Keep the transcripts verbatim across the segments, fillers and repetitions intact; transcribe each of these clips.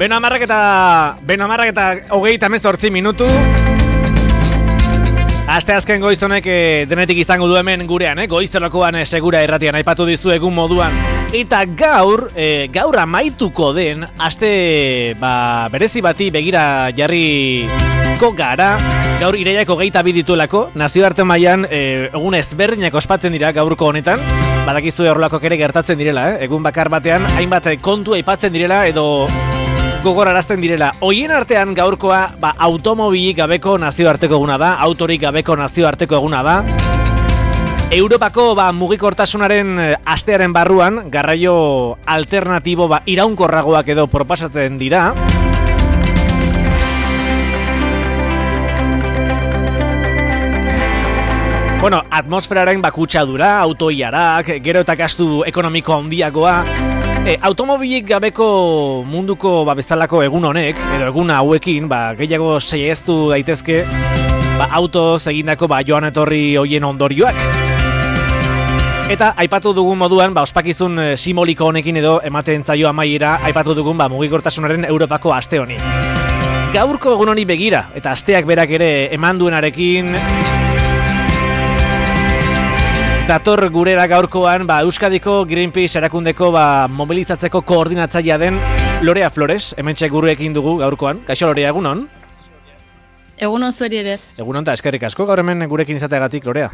Beno amarrak eta, beno amarrak eta hogeita hemezortzi minutu. Aste azken goiztonek e, denetik izango du hemen gurean, eh? Goiztelokoan e, segura erratian aipatu dizu egun moduan. Eta gaur, e, gaur amaituko den, aste ba, berezi bati begira jarriko gara. Gaur irailak hogeita bi dituelako, nazioarte mailan e, egun ezberdinak ospatzen dira gaurko honetan. Badakizu horrelako ere gertatzen direla, eh? Egun bakar batean, hainbat kontu aipatzen direla edo gogorarazten direla. Hoien artean gaurkoa ba, automobilik gabeko nazioarteko eguna da, autorik gabeko nazioarteko eguna da. Europako ba, mugikortasunaren astearen barruan, garraio alternatibo ba, iraunkorragoak edo proposatzen dira. Bueno, atmosferaren bakutsadura, autoiarak, gero eta gastu ekonomiko handiagoa. E, automobilik gabeko munduko ba, bezalako egun honek, edo egun hauekin, ba, gehiago saieztu daitezke ba, autoz egindako ba, joan etorri hoien ondorioak. Eta aipatu dugun moduan, ba, ospakizun e, simboliko honekin edo ematen zaio amaiera, aipatu dugun ba, mugikortasunaren Europako aste honi. Gaurko egun honi begira, eta asteak berak ere eman duenarekin dator gurera gaurkoan ba, Euskadiko Greenpeace erakundeko ba, mobilizatzeko koordinatzailea den Lorea Flores, hementxe gurekin dugu gaurkoan. Kaixo Lorea, egunon? Egunon zueri ere. Egunon eta eskerrik asko gaur hemen gurekin izateagatik, Lorea.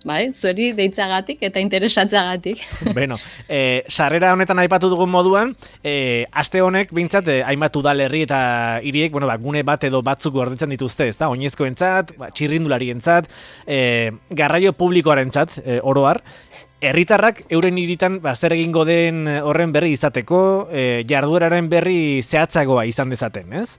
Bai, zueri deitzagatik eta interesatzeagatik. Beno, e, sarrera honetan aipatu dugun moduan, e, aste honek bintzat e, hainbat udalerri eta hiriek, bueno, ba, gune bat edo batzuk gordetzen dituzte, ezta? Oinezkoentzat, ba, txirrindularientzat, e, garraio publikoarentzat, e, oro har. Herritarrak euren hiritan ba, zer egingo den horren berri izateko, e, jardueraren berri zehatzagoa izan dezaten, ez?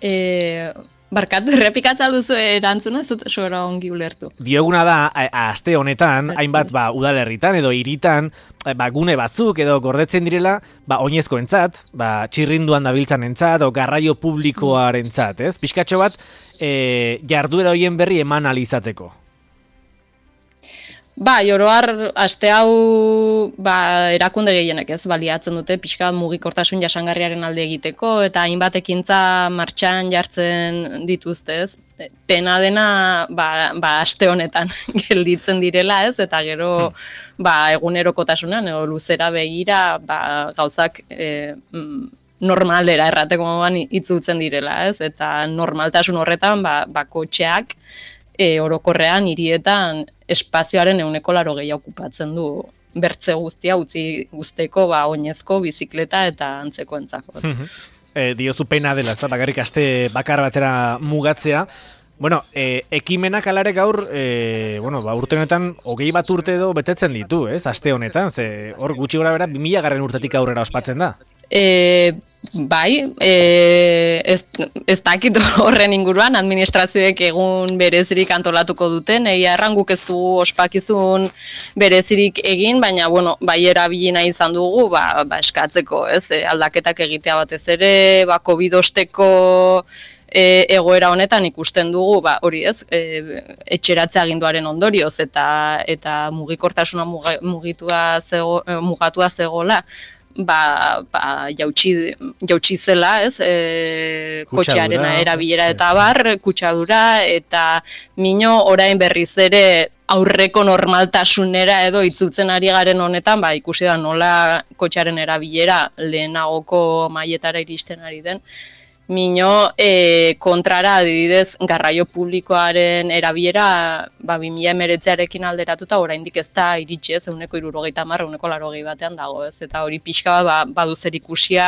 Eh... Barkatu, errepikatza duzu erantzuna, zut sobera ongi ulertu. Dioguna da, a, aste honetan, hainbat ba, udalerritan edo hiritan, ba, gune batzuk edo gordetzen direla, ba, oinezkoentzat, ba, txirrinduan dabiltzanentzat, o garraio publikoarentzat, ez? Pixkatxo bat, e, jarduera hoien berri eman alizateko. Ba, oroar, aste hau ba, erakunde gehienek ez, baliatzen dute pixka mugikortasun jasangarriaren alde egiteko, eta hainbat ekintza martxan jartzen dituzte ez. Pena dena ba, ba, aste honetan gelditzen direla ez, eta gero ba, egunerokotasunean edo luzera begira ba, gauzak e, normalera errateko moduan itzultzen direla ez, eta normaltasun horretan ba, ba, kotxeak E, orokorrean hirietan espazioaren ehuneko laurogei okupatzen du bertze guztia utzi guzteko ba oinezko bizikleta eta antzekoentzako. e, diozu pena dela, ez da bakarrik aste bakar batera mugatzea. Bueno, e, ekimenak alare gaur, e, bueno, ba, urte honetan hogei bat urte edo betetzen ditu, ez? Aste honetan, ze hor gutxi gora bera bi mila garren urtetik aurrera ospatzen da. E, bai, e, ez, ez dakit horren inguruan administrazioek egun berezirik antolatuko duten, egia erran guk ez dugu ospakizun berezirik egin, baina bueno, bai erabili nahi izan dugu ba, ba eskatzeko, ez? E, aldaketak egitea batez ere, ba COVID osteko E, egoera honetan ikusten dugu, ba, hori ez, e, etxeratze aginduaren ondorioz eta eta mugikortasuna mugitua zego, mugatua zegoela, ba, ba jautsi, jautsi zela, ez, e, kotxearena erabilera eta bar, kutsadura, eta mino orain berriz ere aurreko normaltasunera edo itzultzen ari garen honetan, ba, ikusi da nola kotxearen erabilera lehenagoko mailetara iristen ari den. Mino e, kontrara adibidez garraio publikoaren erabilera ba, bi mila hemeretziarekin alderatuta oraindik ez da iritsi ez, ehuneko hirurogeita hamar, ehuneko laurogei batean dago ez, eta hori pixka ba, badu zer ikusia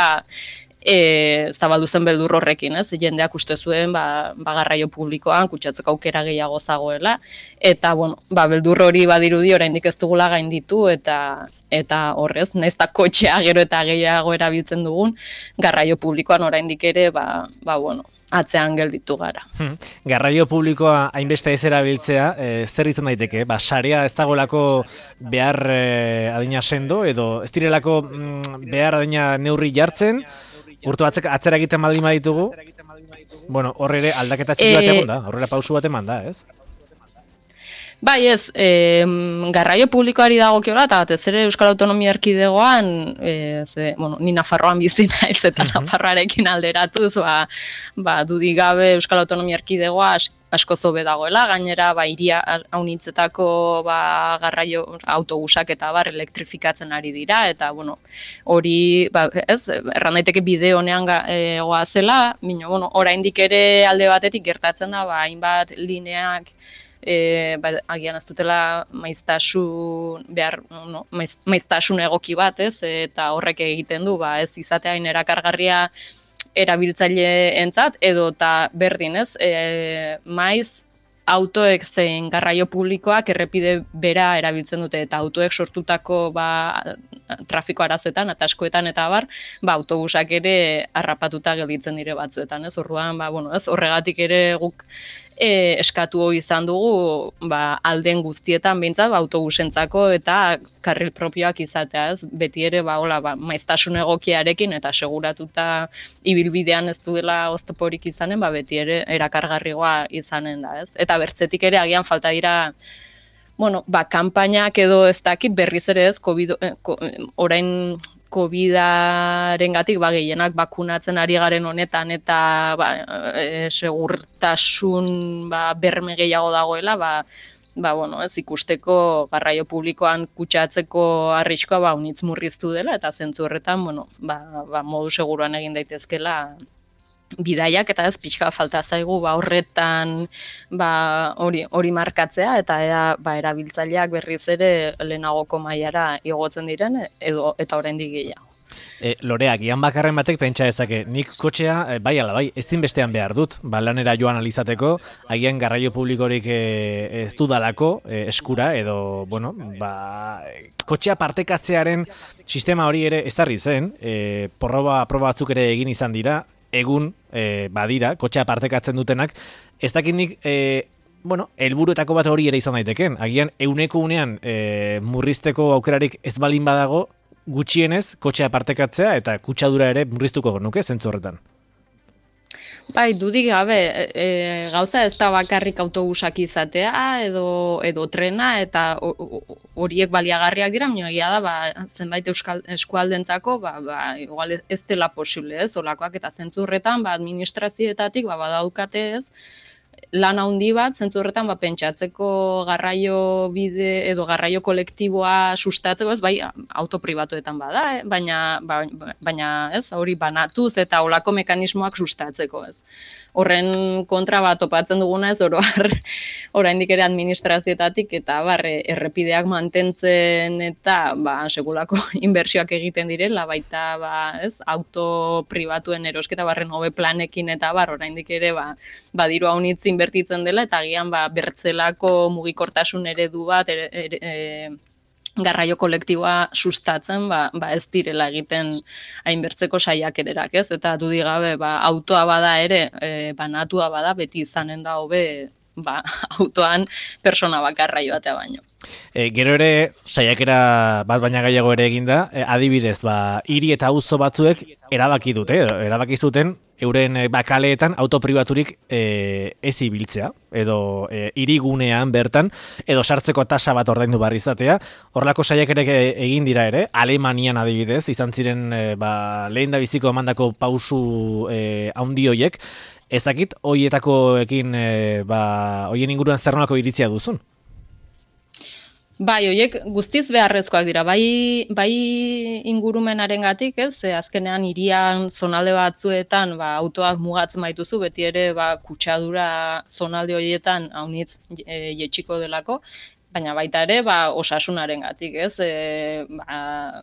e, zabaldu zen beldur horrekin, ez? Jendeak uste zuen ba, ba garraio publikoan kutsatzeko aukera gehiago zagoela, eta bueno, ba, beldur hori badirudi oraindik ez dugula gainditu, eta eta horrez, nahiz eta kotxea gero eta gehiago erabiltzen dugun, garraio publikoan oraindik ere ba, ba bueno, atzean gelditu gara. Hmm. Garraio publikoa hainbeste ez erabiltzea, e, zer izan daiteke? Ba, sarea ez dagoelako behar e, adina sendo, edo ez direlako mm, behar adina neurri jartzen, urte batzek atzera egiten baldin baditugu, bueno, horre ere aldaketa txiki bat egon da, horrela pausu bat eman da, ez? Bai, ez, e, garraio publikoari dagokiola, eta batez ere Euskal Autonomia Erkidegoan, e, ze, bueno, ni Nafarroan bizi naiz eta uh-huh. Nafarroarekin alderatuz, ba, ba, dudik gabe Euskal Autonomia Erkidegoa asko zobe dagoela, gainera ba, iria haunitzetako ba, garraio autobusak eta bar elektrifikatzen ari dira, eta bueno, hori, ba, ez, erran daiteke bide honean e, goazela, bino, bueno, oraindik ere alde batetik gertatzen da, ba, hainbat lineak, E, ba, agian ez dutela maiztasun behar, no, maiz, maiztasun egoki bat, ez? Eta horrek egiten du, ba, ez izatea erakargarria erabiltzaileentzat edo ta berdin, ez? E, maiz autoek zein garraio publikoak errepide bera erabiltzen dute eta autoek sortutako ba, trafiko arazoetan, ataskoetan eta bar, ba, autobusak ere harrapatuta gelditzen dire batzuetan, ez? Orduan, ba, bueno, ez? Horregatik ere guk E, eskatu izan dugu ba, alden guztietan behintzat ba, autobusentzako eta karril propioak izatea, ez? Beti ere ba, hola, ba, maiztasun egokiarekin eta seguratuta ibilbidean ez duela oztoporik izanen, ba, beti ere erakargarrigoa izanen da, ez? Eta bertzetik ere agian falta dira bueno, ba, kanpainak edo ez dakit berriz ere ez, COVID, eh, ko, orain COVIDarengatik ba, gehienak bakunatzen ari garen honetan eta ba, e, segurtasun ba, berme gehiago dagoela, ba, ba, bueno, ez ikusteko garraio publikoan kutsatzeko arriskoa ba, unitz murriztu dela eta zentzu horretan bueno, ba, ba, modu seguruan egin daitezkela bidaiak eta ez pixka falta zaigu ba, horretan ba, hori, hori markatzea eta ea, ba, erabiltzaileak berriz ere lehenagoko mailara igotzen diren edo eta oraindik gehiago. E, Lorea, gian bakarren batek pentsa dezake, nik kotxea, e, bai ala bai, ezin bestean behar dut, ba, lanera joan alizateko, agian garraio publikorik e, ez dudalako e, eskura, edo, bueno, ba, kotxea partekatzearen sistema hori ere ezarri zen, e, porroba, proba batzuk ere egin izan dira, egun e, badira, kotxea partekatzen dutenak, ez dakit nik, e, bueno, helburuetako bat hori ere izan daiteken, agian euneko unean e, murrizteko aukerarik ez balin badago, gutxienez, kotxea partekatzea eta kutsadura ere murriztuko nuke zentzu horretan. Bai, dudik gabe, e, gauza ez da bakarrik autobusak izatea edo edo trena eta horiek baliagarriak dira, baina egia da, ba, zenbait euskal eskualdentzako, ba, ba, igual ez dela posible, ez, olakoak eta zentzu horretan, ba, administrazioetatik, ba, badaukate ez, lan handi bat, zentzu horretan ba, pentsatzeko garraio bide edo garraio kolektiboa sustatzeko, ez bai auto pribatuetan bada, eh? baina, ba, baina ez, hori banatuz eta olako mekanismoak sustatzeko, ez. Horren kontra bat topatzen duguna ez oro har, oraindik ere administrazioetatik eta barre errepideak mantentzen eta ba, segulako inbertsioak egiten direla, baita ba, ez, auto pribatuen erosketa barren hobe planekin eta bar, oraindik ere ba, badiru haunitz inbertitzen dela eta agian ba, bertzelako mugikortasun eredu bat ere, ere, e, garraio kolektiboa sustatzen, ba, ba ez direla egiten hainbertzeko saiakererak, ez? Eta dudik gabe, ba, autoa bada ere, e, banatua bada, beti izanen da hobe, ba, autoan persona bakarra joatea baino. E, gero ere, saiakera bat baina gehiago ere eginda, e, adibidez, ba, hiri eta auzo batzuek erabaki dute, erabaki zuten, euren bakaleetan autopribaturik e, ez ibiltzea, edo e, hirigunean bertan, edo sartzeko tasa bat ordaindu barri izatea. Horrelako saiakerek egin dira ere, Alemanian adibidez, izan ziren e, ba, lehen da biziko emandako pausu e, handi hoiek. Ez dakit, hoietakoekin, e, ba, hoien inguruan zer nolako iritzia duzun? Bai, horiek guztiz beharrezkoak dira, bai, bai ingurumenarengatik, ez, ze azkenean hirian zonalde batzuetan ba, autoak mugatzen baituzu, beti ere ba, kutsadura zonalde horietan haunitz e, jetxiko delako, baina baita ere ba, osasunarengatik, ez, e, ba,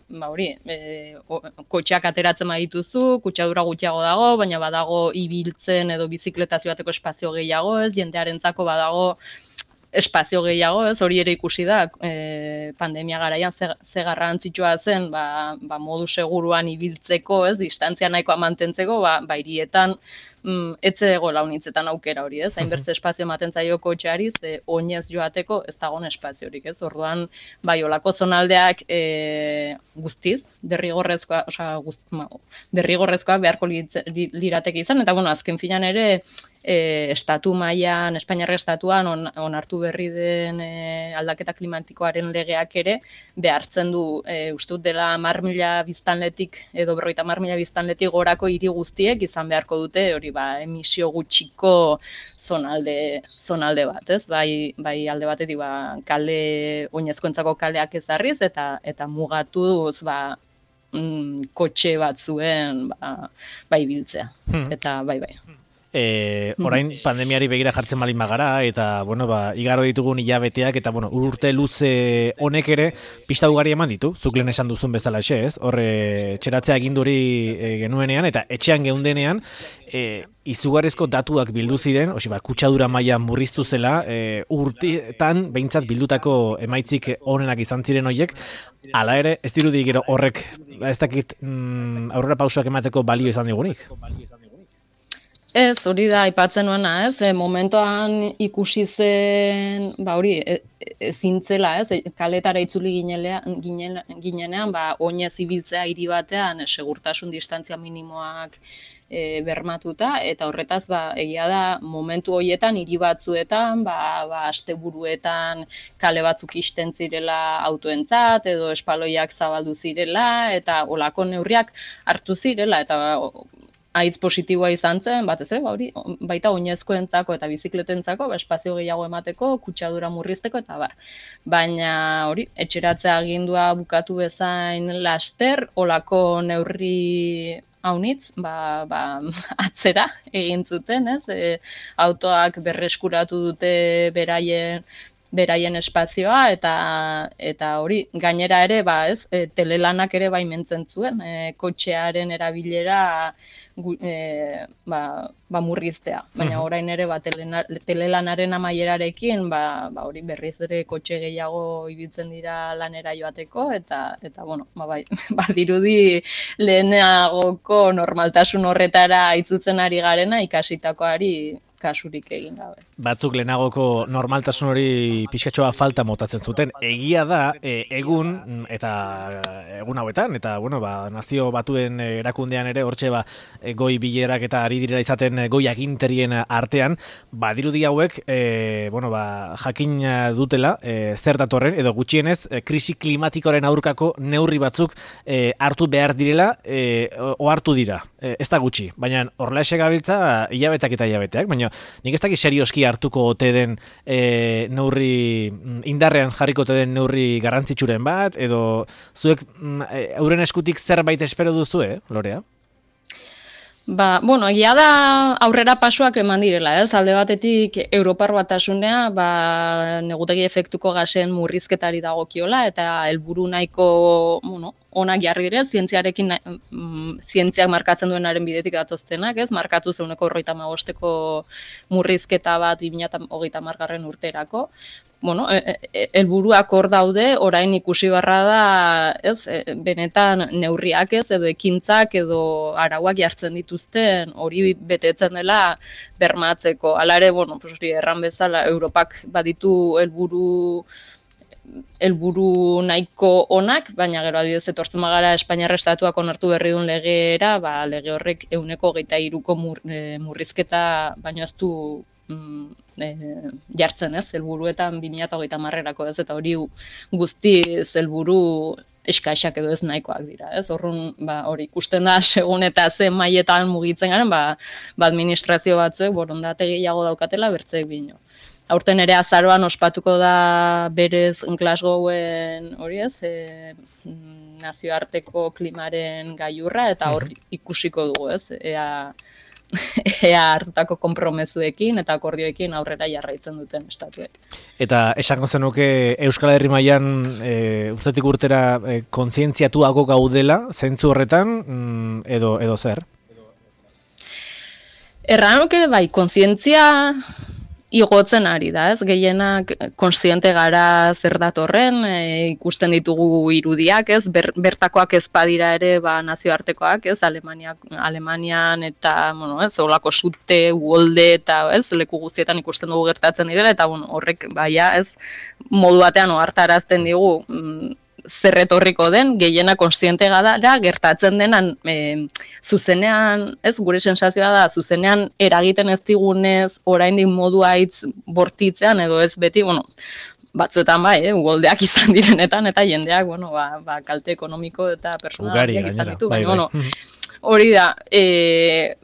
ba hori, e, kotxeak ateratzen badituzu, kutsadura gutxiago dago, baina badago ibiltzen edo bizikletazio bateko espazio gehiago, ez, jendearentzako badago espazio gehiago, ez, hori ere ikusi da, e, pandemia garaian ze, ze garrantzitsua zen, ba, ba modu seguruan ibiltzeko, ez, distantzia nahikoa mantentzeko, ba, ba hirietan mm, etze ego launitzetan aukera hori, ez? Hainbertze espazio ematen zaio kotxeari, ze oinez joateko ez dagoen espaziorik, ez? Orduan, bai, olako zonaldeak e, guztiz, derrigorrezkoa, osea, guzt, ma, derrigorrezkoa beharko lirateke izan, eta bueno, azken finan ere, E, estatu mailan, Espainiarra estatuan on, onartu berri den e, aldaketa klimatikoaren legeak ere behartzen du, e, uste dut dela hamar mila biztanletik edo berrogeita hamar mila biztanletik gorako hiri guztiek izan beharko dute hori ba emisio gutxiko zonalde zonalde bat, ez? Bai, bai alde batetik ba kale oinezkoentzako kaleak ezarriz eta eta mugatuz ba mm, kotxe batzuen ba bai biltzea. Hmm. Eta bai bai. E, orain pandemiari begira jartzen balin bagara eta bueno, ba, igaro ditugun hilabeteak eta bueno, urte luze honek ere pista ugari eman ditu, zuk lehen esan duzun bezala xe, ez? Horre txeratzea aginduri e, genuenean eta etxean geundenean e, izugarrizko datuak bildu ziren, osi ba, kutsadura maila murriztu zela, e, urteetan behintzat bildutako emaitzik onenak izan ziren horiek, hala ere, ez dirudi gero horrek, ez dakit mm, aurrera pausoak emateko balio izan digunik? Ez, hori da, aipatzen nuena, ez, e, momentuan ikusi zen, ba hori, ezintzela, ez, kaletara itzuli ginenean, ginenean, ba, oinez ibiltzea hiri batean, segurtasun distantzia minimoak e, bermatuta, eta horretaz, ba, egia da, momentu horietan, hiri batzuetan, ba, ba, asteburuetan kale batzuk ixten zirela autoentzat, edo espaloiak zabaldu zirela, eta olako neurriak hartu zirela, eta haitz positiboa izan zen, batez ere, ba, hori, baita oinezkoentzako eta bizikletentzako, ba, espazio gehiago emateko, kutsadura murrizteko eta bar. Baina hori, etxeratzea agindua bukatu bezain laster, olako neurri haunitz, ba, ba, atzera egin zuten, ez? E, autoak berreskuratu dute beraien beraien espazioa eta eta hori gainera ere ba ez e, telelanak ere baimentzen zuen e, kotxearen erabilera gu, e, ba, ba murriztea, baina orain ere ba telena, telelanaren amaierarekin ba, ba hori berriz ere kotxe gehiago ibiltzen dira lanera joateko eta eta bueno ba bai badirudi lehenagoko normaltasun horretara itzutzen ari garena ikasitakoari kasurik egin gabe. Batzuk lehenagoko normaltasun hori pixkatxoa falta motatzen zuten. Egia da, e, egun, eta egun hauetan, eta bueno, ba, nazio batuen erakundean ere, hortxe ba, goi bilerak eta ari direla izaten goi aginterien artean, badirudi hauek, e, bueno, ba, jakin dutela, e, zer datorren, edo gutxienez, e, krisi klimatikoaren aurkako neurri batzuk e, hartu behar direla, e, o hartu dira. E, ez da gutxi, baina horrela gabiltza hilabetak eta hilabeteak, baina nik ez dakit serioski hartuko ote den e, neurri, indarrean jarriko ote den neurri garrantzitsuren bat, edo zuek e, euren eskutik zerbait espero duzu, eh, Lorea? Ba, bueno, egia da aurrera pasuak eman direla, ez? Alde batetik Europar Batasunea, ba, negutegi efektuko gasen murrizketari dagokiola eta helburu nahiko, bueno, onak jarri dire, zientziarekin, mm, zientziak markatzen duenaren bidetik datoztenak, ez? Markatu zeuneko horreita magosteko murrizketa bat bi mila hogeita hamargarren urterako. Bueno, helburuak hor daude, orain ikusi barra da, ez, benetan neurriak ez, edo ekintzak, edo arauak jartzen dituzten, hori betetzen dela bermatzeko. Hala ere, bueno, pues hori erran bezala, Europak baditu helburu helburu nahiko onak, baina gero adibidez etortzen bagara Espainiar estatuak onartu berri duen legera, ba, lege horrek ehuneko hogeita hiruko mur, e, murrizketa baino ez du E, jartzen ez, helburuetan bi mila hogeita hamarerako ez, eta hori guztiz helburu eskaixak edo ez nahikoak dira, ez, horrun, ba, hori ikusten da, segun eta ze mailetan mugitzen garen, ba, ba administrazio batzuek borondate gehiago daukatela bertzeek bino. Aurten ere azaroan ospatuko da berez Glasgowen hori ez, e, nazioarteko klimaren gailurra, eta hor ikusiko dugu ez, ea ea hartutako konpromezuekin eta akordioekin aurrera jarraitzen duten estatuek. Eta esango zenuke Euskal Herri mailan e, urtetik urtera e, kontzientziatuago gaudela, zentzu horretan, mm, edo, edo zer? Erranuke, bai, kontzientzia igotzen ari da, ez? Gehienak kontziente gara zer datorren, e, ikusten ditugu irudiak, ez? Ber, bertakoak ez badira ere, ba, nazioartekoak, ez? Alemaniak, Alemanian eta, bueno, ez? Olako sute, uholde eta, ez? Leku guztietan ikusten dugu gertatzen direla, eta, bueno, horrek, baia, ez? Modu batean ohartarazten digu, mm, zer etorriko den, gehiena kontziente gara, gertatzen denan e, zuzenean, ez, gure sensazioa da, zuzenean eragiten ez digunez, oraindik modu haitz bortitzean, edo ez beti, bueno, batzuetan bai, eh, ugoldeak izan direnetan, eta jendeak, bueno, ba, ba, kalte ekonomiko eta personalak izan ditu, bai, bueno, hori da, e,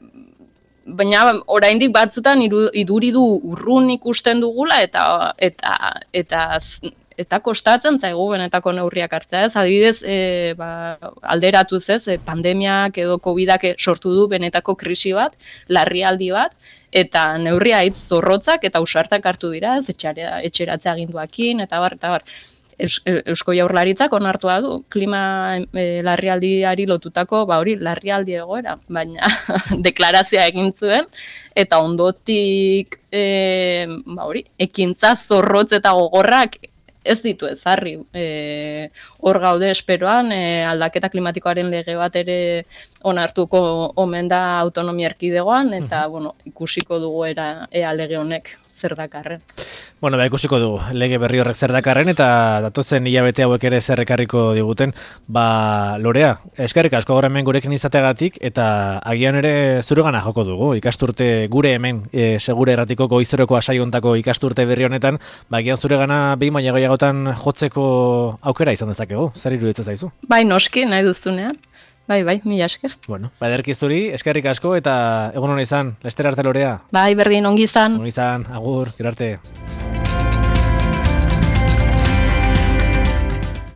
baina oraindik batzutan iru, iduri du urrun ikusten dugula, eta, eta, eta, eta kostatzen zaigu benetako neurriak hartzea, ez? Adibidez, e, ba, alderatuz ez, e, pandemiak edo covidak sortu du benetako krisi bat, larrialdi bat, eta neurria hitz zorrotzak eta ausartak hartu dira, ez? Etxarea, etxeratzea aginduakin, eta bar, eta bar. Eus, Eusko Jaurlaritzak onartua du klima e, larrialdiari lotutako, ba hori, larrialdi egoera, baina deklarazioa egin zuen, eta ondotik, e, ba hori, ekintza zorrotz eta gogorrak ez ditu ezarri. E, hor gaude esperoan, e, aldaketa klimatikoaren lege bat ere onartuko omen da autonomia erkidegoan, eta uh-huh. bueno, ikusiko dugu era, ea lege honek zer dakarren. Bueno, ba, ikusiko dugu lege berri horrek zer dakarren, eta datozen hilabete hauek ere zer ekarriko diguten. Ba, Lorea, eskerrik asko gaur hemen gurekin izateagatik, eta agian ere zuregana joko dugu. Ikasturte gure hemen, e, segure erratiko goizeroko asaiontako ikasturte berri honetan, ba, agian zuregana behin baina gehiagotan jotzeko aukera izan dezakegu. Zer iruditzen zaizu? Bai, noski, nahi duzunean. Bai, bai, mila esker. Bueno, ba, ederki zuri, eskerrik asko, eta egun hona izan, lester arte Lorea. Bai, berdin, ongi izan. Ongi izan, agur, gero arte.